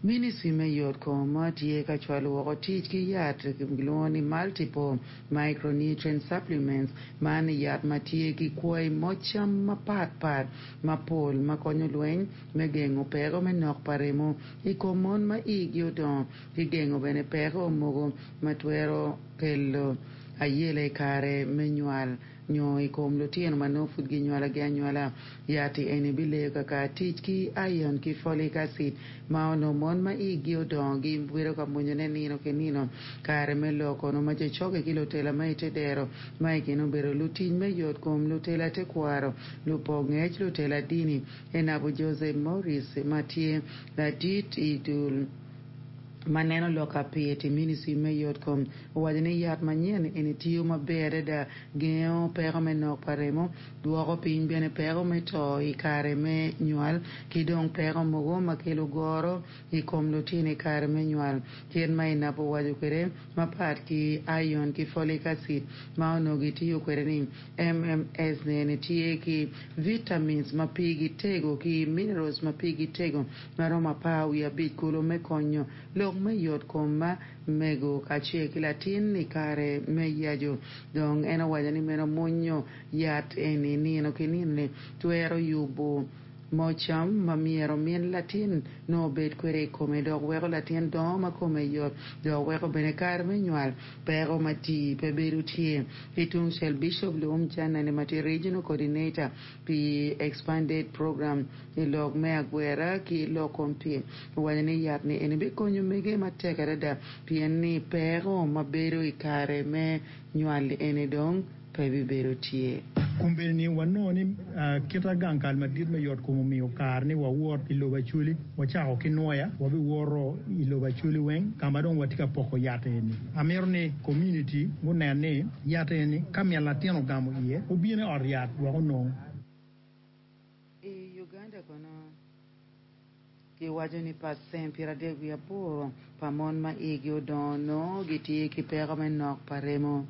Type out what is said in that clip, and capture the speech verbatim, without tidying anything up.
Ministry me yotkom tye ka cwalo woko tic ki yat kilwongo ni multiple micronutrient supplements man yat ma tye ki kwai moc cam mapatpat mapol ma konyo lweny me gengo peko me nok pa remo i kom mon ma igi odongo ki gengo bene peko mogo ma twero kelo ayela i kare me nywal nyo i kom lutino ma nongo pud ginywalagi anywala yat eni bileyo kaka tic ki iron ki folic acid ma onongo mon ma igi odongo gibedo ka mwonyone nino ki nino kare me lok kono ma jo cokke ki lutela ma ite dero ma i kine obedo lutic me yotkom lutela tekwaro lupo ngec lutela dini Enabu Joseph Morris ma tye ladit i dul ma neno lok apit i ministry me yotkom owaco ni yat manyen eni tiyo maber adada gengo peko me nok pa remo dwoko piny bene peko me to i kare me nywal ki dong peko mogo ma kelo goro i kom lutino i kare me nywal kit ma Enabu owaco kwede mapat ki iron ki folic acid ma onongo gitiyo kwede ni MMS ni tye ki vitamins ma pigi tego ki minerals ma pigi tego maromo apar wiye abic kulu me konyo lok me yotkom ma mego kacel ki latin i kare me yaco dong en owaco ni meno mwonyo yat eni nino ki nino-ni twero yubo mo cam ma myero min latin nongo obed kwede i kome dok weko latin dongo ma kome yot dok weko bene kare me nywal peko ma tii pe bedo tye ki tungcel Bishop Luwum Janani ma tye regional coordinator pi expanded program i lok me agwera ki lok kom pii owaco ni yat ni eni bikonyo mege matek adada pien ni peko ma bedo i kare me nywal eni dong pe bibedo tye. Kombeddi ni wanongo ni kita gang kal madit me yotkom omiyo kare ni wawot i lobo Acholi wacako ki Nwoya wabiwoto i lobo Acholi weng ka ma dong watye ka poko yat eni. Amito ni community gunen ni yat eni ka min latin ogamo iye obino i ot yat wek onong. I Uganda kono giwaco ni pacent piero adek wiye aboro pa mon ma igi odongo nongo gitye ki peko me nok pa remo.